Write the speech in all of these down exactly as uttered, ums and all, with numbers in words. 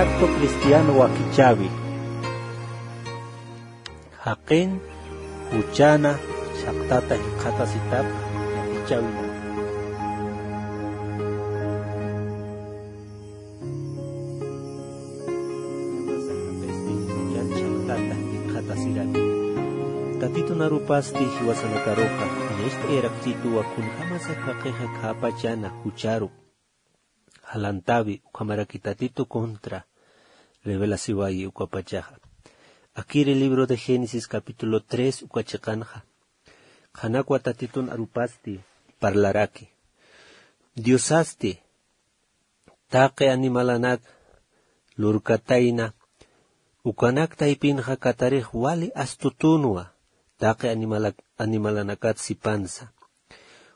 Acto cristiano wakichäwi. Jaqin juchana chhaqtata jikxatasitap wakichäwinaka. Juchan chhaqtata jikxatasiraki. Tatitun arupasti jiwasanakaruxa, niyacht'ayarakchituwa kunjamasa jaqixa khäpachana jucharu jalantäwi ukhamaraki Tatitu contra revelasiwayi ukapachaxa. Akiri libro de Génesis capítulo tres uka chiqanxa, qhanakwa Tatitun arupasti parlaraki. Diosasti taqi animalanak lurkatayna, ukanak taypinxa katarix wali astutunwa taqi animalak-, animalanakat sipansa.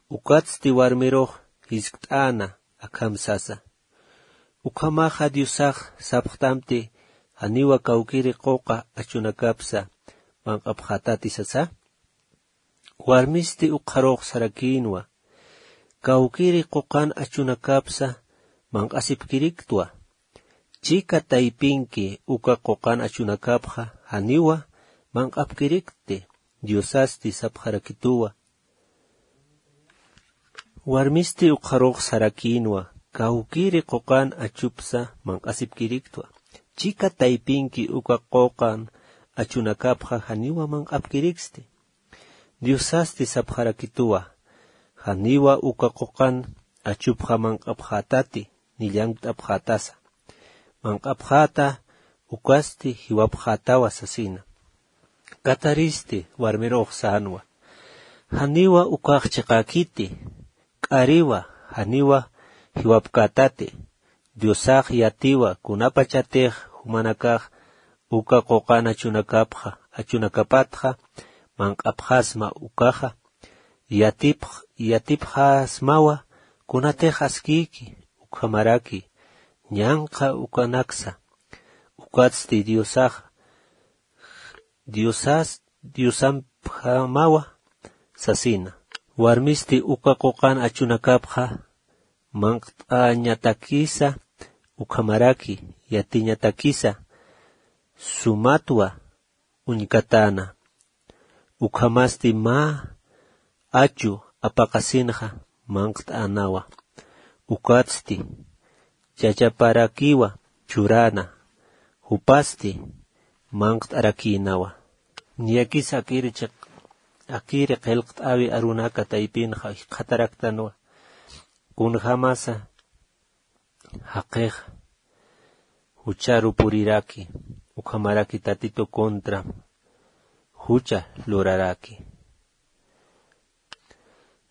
Ukatsti warmirux jiskt'äna akham sasa. Ukhamaxa Diosax sapxtamti, janiwa kawkiri quqa achunakapsa manq'apxätati sasa. Warmisti ukxarux sarakïnwa, kawkiri quqan achunakapsa manq'asipkiriktwa. Chika taypinki uka quqan achunakapxa janiwa manq'apkirikti, Diosasti sapxarakituwa. Warmisti ukxarux sarakïnwa, kawkiri quqan achupsa manq'asipkiriktwa. Chika taypinki uka quqan achunakapxa janiwa manq'apkiriksti. Diosasti sapxarakituwa, janiwa uka quqan achupxa manq'apxätati, ni llankt'apxätasa. Manq'apxäta ukasti jiwapxätawa sasina. Kataristi warmirux sänwa, janiwa ukax chiqäkiti, k'ariwa, janiwa jiwapkätati. Diosax yatiwa kunapachatix jumanakax uka quqan achunakapxa, achunakapatxa manq'apxasma ukaxa, yatipx-, yatipxasmawa kunatix askïki, ukhamaraki ñanqha ukanaksa. Ukatsti Diosax, Diosas-, Diosampjamawa sasina. Warmisti uka quqan achunakapxa manqt'añatakisa, ukhamaraki yatiñatakisa, sumatwa uñkatäna. Ukhamasti mä achu apaqasinxa manqt'änawa. Ukatsti chachaparakiwa churäna, jupasti manqt'arakïnawa. Niyakis akiri chiq-, akiri qillqt'äwi arunaka taypinxa jikxataraktanwa. Kunjamasa jaqix jucharu puriraki, ukhamaraki Tatitu contra jucha luraraki.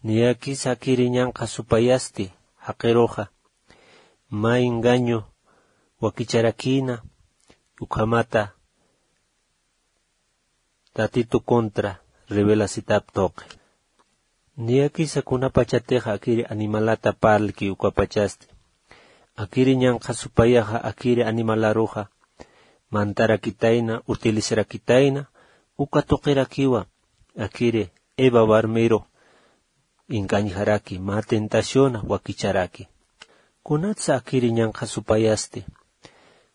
Niyakis akiri ñanqha supayasti jaqiruxa mä engaño wakicharakïna, ukhamata Tatitu contra revelasitap tuqi. Niyakisa kunapachatix akiri animalata parlki ukapachasti. Akiri ñanqha supayaxa akiri animalaruxa mant'arakitayna, utilizarakitayna, uka tuqirakiwa akiri Eva warmiru engañjaraki, mä tentaciona wakicharaki. Kunatsa akiri ñanqha supayasti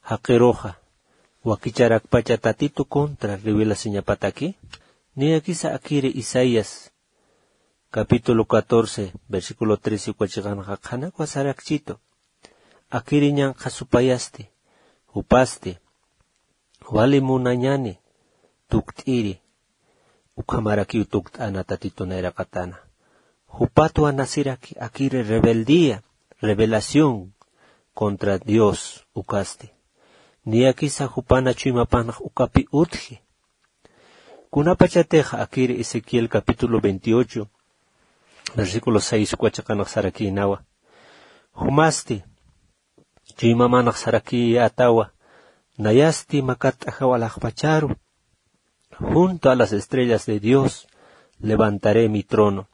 jaqiruxa wakicharakpacha Tatitu contra revelasiñapataki? Niyakisa akiri Isaías capítulo catorce, versículo trece uka chiqanxa qhanakwa sarakchitu. Akiri ñanqha supayasti, jupasti, wali munañani tukt'iri, ukhamarakiw tukt'ana Tatitu nayraqatana. Jupatwa nasiraki akiri rebeldía, rebelación contra Dios ukasti. Niyakisa jupana chuymapanx ukapi utji. Kunapachatix akiri Ezequiel capítulo veintiocho, versículo seis uka chiqanx sarakïnawa. Jumasti chuymamanx sarakïyätawa, nayasti makat'ajaw alaxpacharu, junto a las estrellas de Dios levantaré mi trono.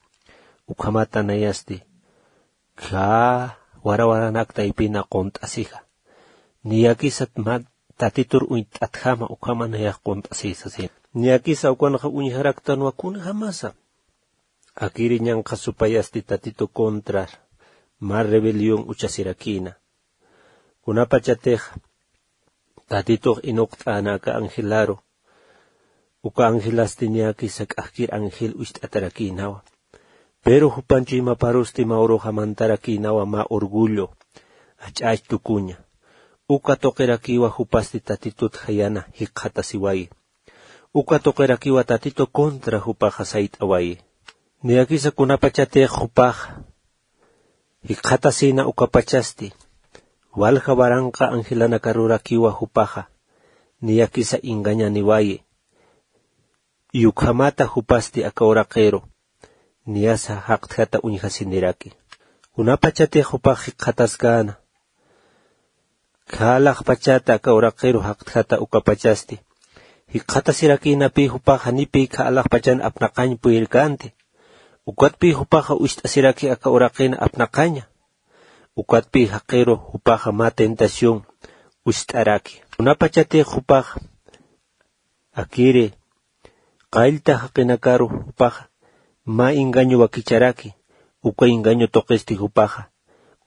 Ukhamata nayasti khä warawaranak taypina qunt'asija. Niyakisat mä Tatitur uñt'atjama ukhama nayax qunt'asisa sina. Niyakisa ukanxa uñjaraktanwa kunjamasa akiri ñanqha supayasti Tatitu contra mä rebelión uchasirakïna. Kunapachatix Tatitux inuqt'äna aka angelaru. Uka angelasti niyakisa k'ajkir angel ucht'atarakïnawa. Pero jupan chuymaparusti mä uruxa mantarakïnawa mä orgullo, ach'ach tukuña. Uka tuqirakiwa jupasti tatitut jayana jikxatasiwayi. Uka tuqirakiwa tatitu contra jupaxa sayt'awayi. Niyakisa kunapachatix jupaxa jikxatasïna ukapachasti, walja waranqa angelanakarurakïwa jupaxa niyakisa engañaniwayi. Y ukhamata jupasti aka uraqiru niyasa jaqtjata uñjasiniraki. Kunapachatix jupax jikxataskäna, khalaxpachata aka uraqiru jaqtjata ukapachasti jikxatasirakïnapï jupax janipï khalaxpachan apnaqañ puyirkänti. Ukatpï jupaxa ucht'asiraki aka uraqin apnaqaña. Ukatpï jaqiru jupaxa mä tentación ucht'araki. Kunapachatix jupaxa akiri qallta jaqinakaru jupaxa mä engaño wakicharaki, uka engaño tuqisti jupaxa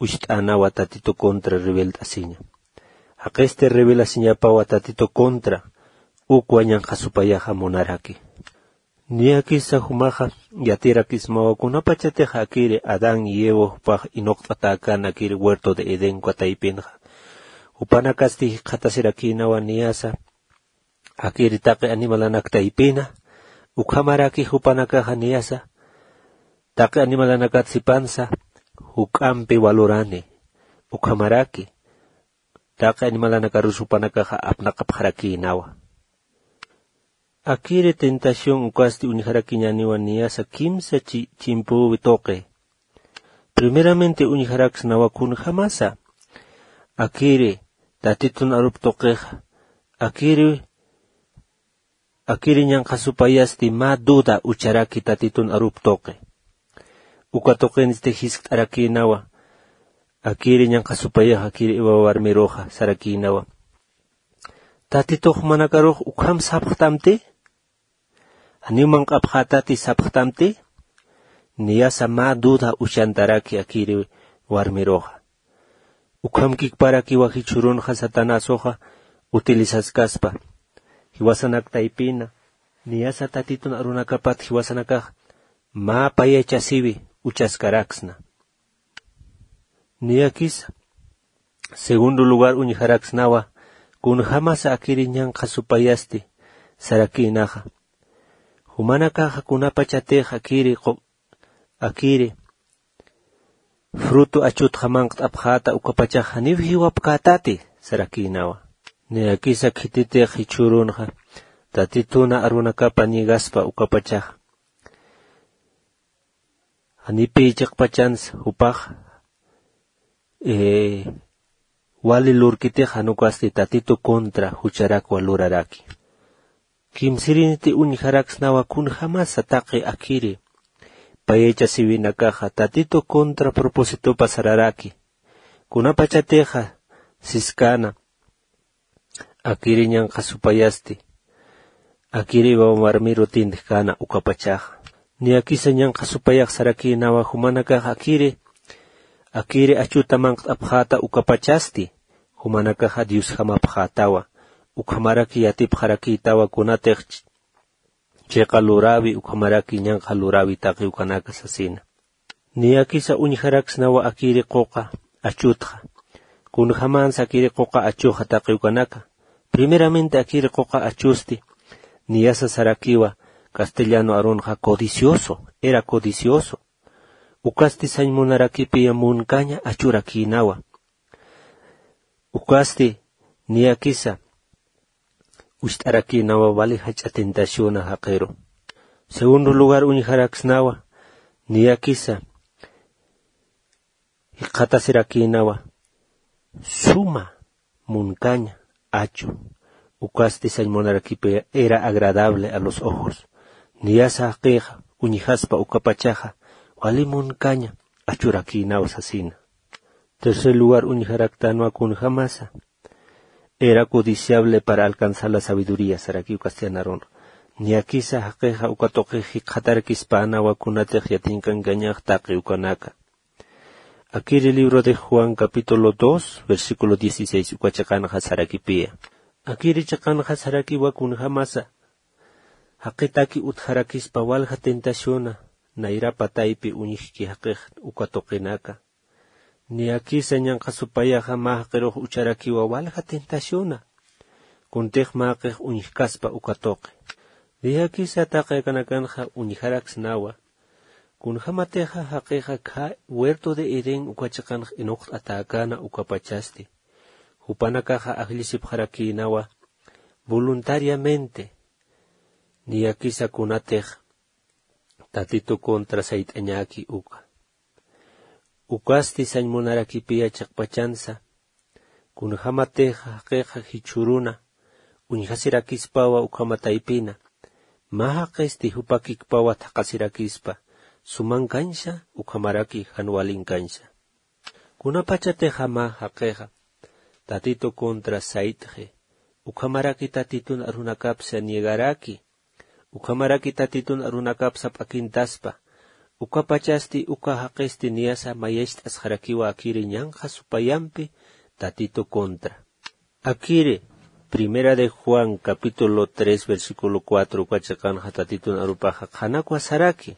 ucht'änawa tatitu contra rebelt'asiña. Jaqisti rebelasiñapawa tatitu contra ukwa ñanqha supayaxa munaraki. Niyakisa jumaxa yatirakismawa kunapachatix akiri Adán y Eva jupax inuqt'atäkän akiri huerto de Edén uka taypinxa. Jupanakasti jikxatasirakïnawa niyasa akiri taqi animalanak taypina, ukhamaraki jupanakaxa niyasa taqi animalanakat sipansa juk'ampi walurani, ukhamaraki taqi animalanakarus jupanakaxa apnaqapxarakïnawa. Akiri tentación ukasti uñjarakiñäniwa niyasa kimsa chi-, chimpüwi tuqi. Primeramente uñjaraksnawa kunjämasa akiri tatitun arup tuqixa, akiri, akiri ñanqha supayasti mä duda ucharaki tatitun arup tuqi. Uka tuqinsti jiskt'arakïnawa akiri ñanqha supayax akiri Eva warmiruxa sarakïnawa: Tatitux jumanakarux ukham sapxtamti, janiw manq'apxätati sapxtamti. Niyasa mä duda uchantaraki akiri warmiruxa. Ukham kikparakiwa jichhürunxa Satanasuxa utilizaskaspa jiwasanak taypina, niyasa tatitun arunakapat jiwasanakax mä payachasiwi uchaskaraksna. Niyakisa segundo lugar uñjaraksnawa kunjämasa akiri ñanqha supayasti sarakïnaxa. Jumanakaxa kunapachatix akiri qu-, akiri fruto achutxa manqt'apxäta ukapachax janiw jiwapkätati sarakïnawa. Niyakisa khititix jichhürunxa tatituna arunakapa niegaspa ukapachaxa, janipï chiqpachans jupax, eh, wali lurkitix jan ukasti tatitu contra jucharakwa luraraki. Kimsiriniti uñjaraksnawa kunjämasa taqi akiri payachasiwinakaxa tatitu contra propósitopa sararaki. Kunapachatixa siskäna akiri ñanqha supayasti akiri Eva warmiru tintjkäna ukapachaxa. Niyakisa ñanqha supayax sarakïnawa jumanakax akiri, akiri achuta manqt'apxäta ukapachasti jumanakaxa diosjamapxätawa, ukhamaraki yatipxarakïtawa kunatix ch-, chiqa luräwi ukhamaraki ñanqha luräwi taqi ukanaka sasina. Niyakisa uñjaraksnawa akiri quqa achutxa. Kunjämänsa akiri quqa achuxa taqi ukanaka. Primeramente akiri quqa achusti niyasa sarakiwa castellano arunxa codicioso, era codicioso. Ukasti sañ munarakipiya munkaña achurakïnawa. Ukasti niyakisa ucht'arakïnawa wali jach'a tentaciona jaqiru. Segundo lugar uñjaraksnawa niyakisa jikxatasirakïnawa suma munkaña achu. Ukasti sañ munarakipiya era agradable a los ojos. Niyasa jaqixa uñjaspa ukapachaxa wali munkaña achurakïnawa sasina. Tercer lugar uñjaraktänwa kunjämasa era codiciable para alcanzar la sabiduría sarakiw castellano arunxa. Niyakisa jaqixa uka tuqix jikxatarakispänawa kunatix yatinkankañax taqi ukanaka. Akiri libro de Juan capítulo dos versículo dieciséis uka chiqanxa sarakipiya: Akiri chiqanxa sarakiwa kunjamasa jaqitaki utjarakispa walja tentaciona nayrapa taypi uñjki jaqix uka tuqinaka. Niyakisa ñanqha supayaxa mä jaqirux ucharakiwa walja tentaciona. Kuntix mä jaqix uñjkaspa uka tuqi. Niyakisa taqi akanakanxa uñjaraksnawa. Kunjamatixa jaqixa khä huerto de Edén uka chiqanx inuqt'atäkäna ukapachasti. Jupanakaxa ajllisipxarakïnawa voluntariamente. Niyakisa kunatix Tatitu contra sayt'añäki uka. Ukasti sañ munarakipiya chiqpachansa. Kunjamatixa jaqixa jichhüruna uñjasirakispawa ukhama taypina. Mä jaqisti jupakikpawa thaqhasirakispa. Sumankañsa ukhamaraki jan walinkañsa. Kunapachatixa mä jaqixa Tatitu contra sayt'xi. Ukhamaraki Tatitun arunakapsa niegaraki. Ukhamaraki Tatitun arunakapsa p'akintaspa. Ukapachasti uka jaqisti niyasa mayacht'asxarakiwa akiri ñanqha supayampi Tatitu contra. Akiri, Primera de Juan, capítulo tres, versículo cuatro, uka chiqanxa Tatitun arupaxa qhanakwa saraki.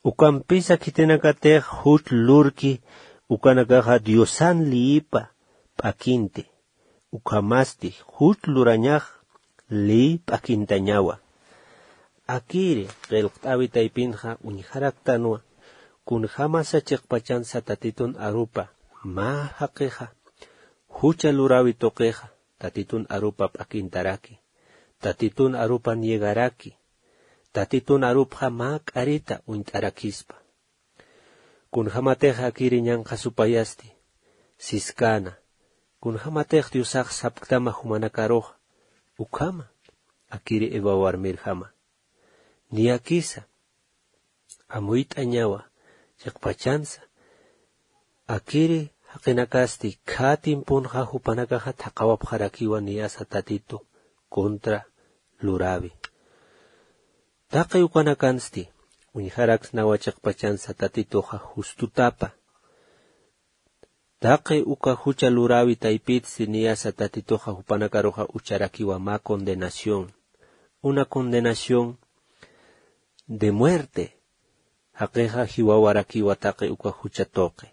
Ukampisa khitinakatix juch lurki, ukanakaxa Diosan liyipa p'akinti. Ukhamasti juch lurañax liy p'akintañawa. Akiri, qillqt'äwi taypinxa uñjaraktanwa, kunjamasa chiqpachansa Tatitun arupa mä jaqixa, jucha luräwi tuqixa, Tatitun arupa p'akintaraki, Tatitun arupa niegaraki, Tatitun arupxa mä k'arita uñt'arakispa. Kunjamatix akiri ñanqha supayasti siskäna, kunjamatix Diosax sapktama jumanakaruxa, ukhama, akiri Eva warmirjama. Niyakisa amuyt'añawa chiqpachansa. Akiri jaqinakasti khä tiemponxa jupanakaxa thaqhawapxarakiwa niyasa Tatitu contra luräwi. Taqi ukanakansti uñjaraksnawa chiqpachansa Tatituxa justutapa. Taqi uka jucha luräwi taypitsti niyasa Tatituxa jupanakaruxa ucharakiwa mä condenación, una condenación de muerte. Jaqixa jiwawarakiwa taqi uka jucha tuqi.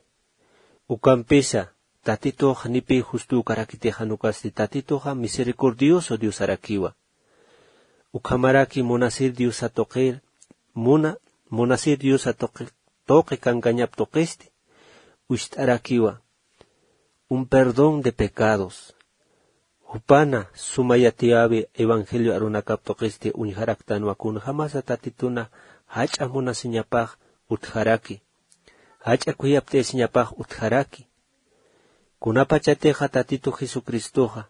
Ukampisa Tatitux nipï justükarakitixa, jan ukasti Tatituxa misericordioso Diosarakiwa. Ukhamaraki munasir diosa tuqir, muna munasir diosa tuqi, tuqi kankañap tuqisti ucht'arakiwa un perdón de pecados. Jupana suma yatiyäwi evangelio arunakap tuqisti uñjaraktanwa, kunjamasa Tatituna jach'a munasiñapax utjaraki, jach'a kuyapt'ayasiñapax utjaraki. Kunapachatixa Tatitu Jesucristoxa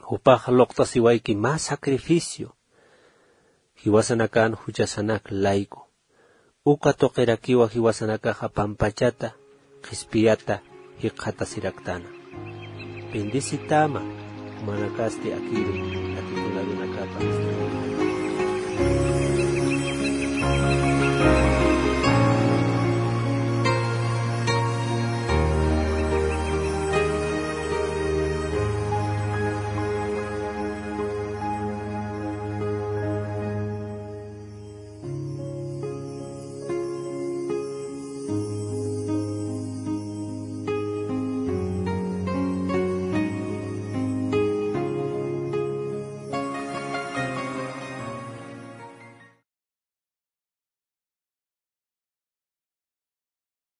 jupax luqt'asiwayki mä sacrificio, jiwasanakan juchasanak layku. Uka tuqirakiwa jiwasanakaxa pampachata qhispiyata jikxatasiraktana. Bendecitama jumanakasti akiri Tatitun arunakapa.